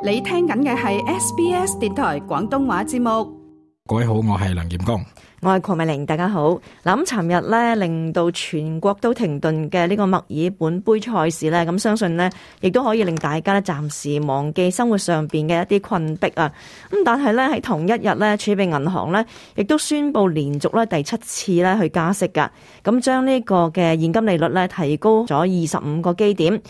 你聽緊嘅係 SBS 電台廣東話節目。各位好，我係梁劍剛，我係鄺美玲，大家好。嗱，咁尋日咧令到全國都停頓嘅呢個墨爾本杯賽事咧，咁相信呢亦都可以令大家咧暫時忘記生活上邊嘅一啲困迫啊。咁但係咧喺同一日咧，儲備銀行咧亦都宣布連續咧第7次咧去加息噶，咁將呢個嘅現金利率咧提高咗25個基點。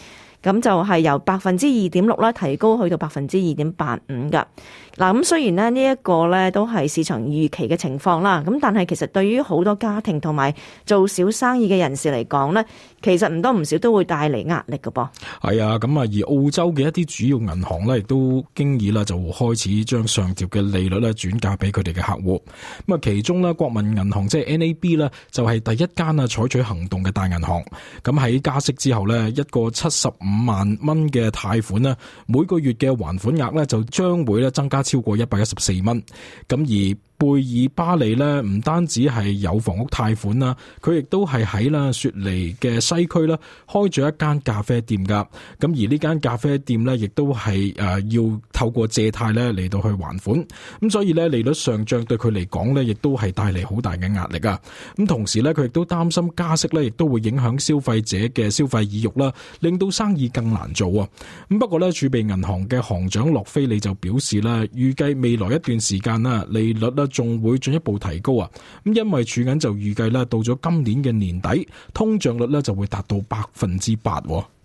咁就係由 2.6% 啦，提高去到 2.85% 噶。嗱，咁雖然呢一個咧都係市場預期嘅情況啦，咁但係其實對於好多家庭同埋做小生意嘅人士嚟講咧，其實唔多唔少都會帶嚟壓力㗎噃。係啊，咁啊，而澳洲嘅一啲主要銀行咧，亦都經已啦就開始將上調嘅利率咧轉嫁俾佢哋嘅客戶。咁啊，其中咧國民銀行即係 NAB 咧，就係第一間啊採取行動嘅大銀行。咁喺加息之後咧，一個75萬蚊嘅貸款咧，每個月嘅還款額咧就將會咧增加超過114蚊。咁而貝爾巴利咧唔單止係有房屋貸款啦，佢亦都係喺啦雪梨嘅西區啦開咗一間咖啡店噶。咁而呢間咖啡店咧亦都係要透過借貸咧嚟到去還款。咁所以咧利率上漲對佢嚟講咧亦都係帶嚟好大嘅壓力啊。咁同時咧佢亦都擔心加息咧亦都會影響消費者嘅消費意欲啦，令到生意更難做啊。咁不過咧儲備銀行嘅行長洛菲利就表示啦，預計未來一段時間啦利率啦仲會進一步提高啊！咁因為儲銀就預計啦，到咗今年嘅年底，通脹率咧就會達到8%。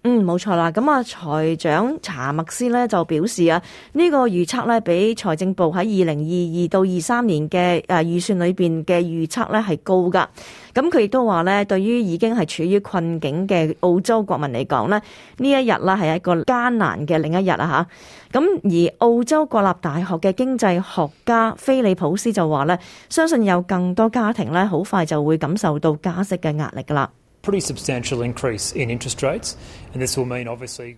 冇錯啦。咁啊，財長查默斯咧就表示啊，呢個預測咧比財政部喺2022到23年嘅預算裏邊嘅預測咧係高噶。咁佢亦都話咧，對於已經係處於困境嘅澳洲國民嚟講咧，呢一日啦係一個艱難嘅另一日啊吓。咁而澳洲國立大學嘅經濟學家菲利普斯就話咧，相信有更多家庭咧好快就會感受到加息嘅壓力噶啦。Pretty substantial increase in interest rates, and this will mean obviously.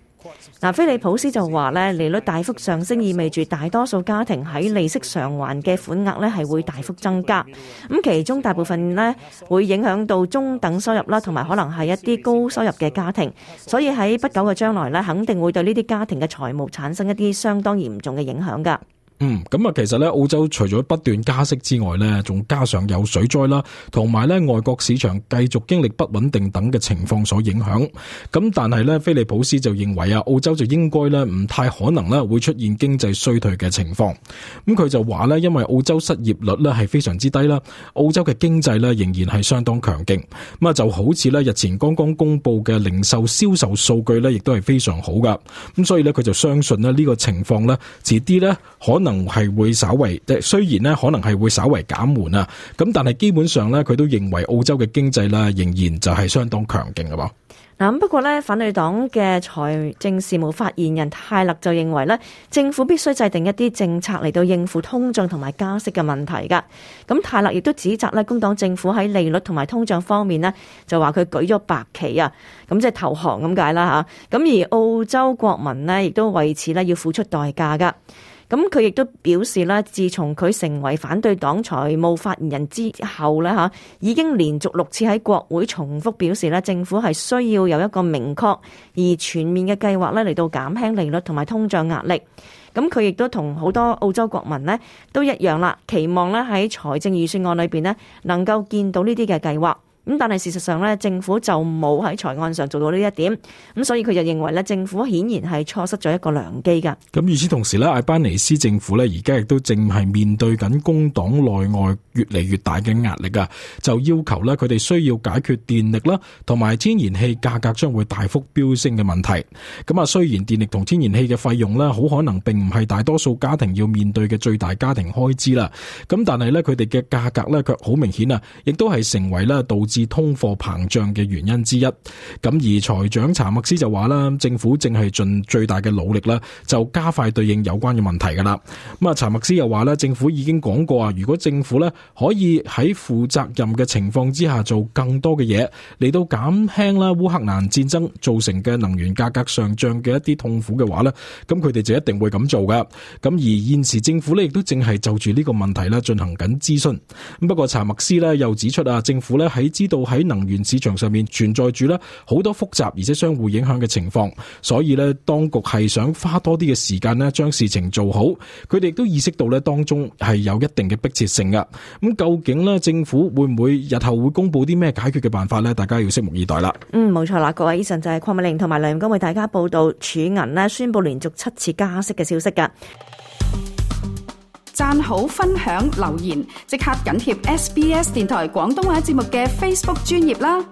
嗱，菲利普斯就話咧，利率大幅上升意味住大多數家庭喺利息償還嘅款額咧係會大幅增加。咁其中大部分咧會影響到中等收入啦，同埋可能係一啲高收入嘅家庭。所以喺不久嘅將來咧，肯定會對呢啲家庭嘅財務產生一啲相當嚴重嘅影響㗎。咁啊，其實咧，澳洲除咗不斷加息之外咧，仲加上有水災啦，同埋咧外國市場繼續經歷不穩定等嘅情況所影響。咁但係咧，菲利普斯就認為啊，澳洲就應該咧唔太可能咧會出現經濟衰退嘅情況。咁佢就話咧，因為澳洲失業率咧係非常之低啦，澳洲嘅經濟咧仍然係相當強勁。咁啊，就好似咧日前剛剛公布嘅零售銷售數據咧，亦都係非常好噶。咁所以咧，佢就相信咧呢個情況咧，遲啲咧可能係會稍為，雖然咧可能係會稍為減緩啊，咁但係基本上咧，佢都認為澳洲嘅經濟咧仍然就係相當強勁嘅噃。嗱，不過咧，反對黨嘅財政事務發言人泰勒就認為咧，政府必須制定一啲政策嚟到應付通脹同埋加息嘅問題噶。咁泰勒亦都指責咧，工黨政府喺利率同埋通脹方面呢，就話佢舉咗白旗啊，咁即係投降咁解啦吓。咁而澳洲國民呢，亦都為此咧要付出代價噶。咁佢亦都表示咧，自從佢成為反對黨財務發言人之後咧嚇，已經連續6次喺國會重複表示咧，政府係需要有一個明確而全面嘅計劃咧嚟到減輕利率同埋通脹壓力。咁佢亦都同好多澳洲國民呢都一樣啦，期望咧喺財政預算案裏邊呢能夠見到呢啲嘅計劃。咁但係事實上咧，政府就冇喺財案上做到呢一點，咁所以佢就認為咧，政府顯然係錯失咗一個良機噶。咁與此同時咧，艾班尼斯政府咧而家亦都正係面對緊工黨內外越嚟越大嘅壓力啊，就要求咧佢哋需要解決電力啦同埋天然氣價格將會大幅飆升嘅問題。咁啊，雖然電力同天然氣嘅費用咧好可能並唔係大多數家庭要面對嘅最大家庭開支啦，咁但係咧佢哋嘅價格咧卻好明顯啊，亦都係成為咧導致通貨膨脹嘅原因之一。咁而財長查默斯就話啦，政府正係盡最大嘅努力啦，就加快對應有關嘅問題噶啦。咁啊，查默斯又話咧，政府已經講過啊，如果政府咧可以喺負責任嘅情況之下做更多嘅嘢，嚟到減輕啦烏克蘭戰爭造成嘅能源價格上漲嘅一啲痛苦嘅話咧，咁佢哋就一定會咁做噶。咁而現時政府咧亦都正係就住呢個問題咧進行緊諮詢。不過查默斯咧又指出啊，政府咧喺知道喺能源市場上面存在住咧好多複雜而且相互影響嘅情況，所以咧當局係想花多啲嘅時間咧將事情做好。佢哋亦都意識到咧當中係有一定嘅迫切性噶。咁究竟咧政府會唔會日後會公布啲咩解決嘅辦法咧？大家要拭目以待啦。冇錯啦，各位，以上就係鄺美玲同埋梁錦為大家報道儲銀咧宣布連續7次加息嘅消息噶。讚好、分享、留言，即刻緊貼SBS 電台廣東話節目嘅 Facebook 專頁啦。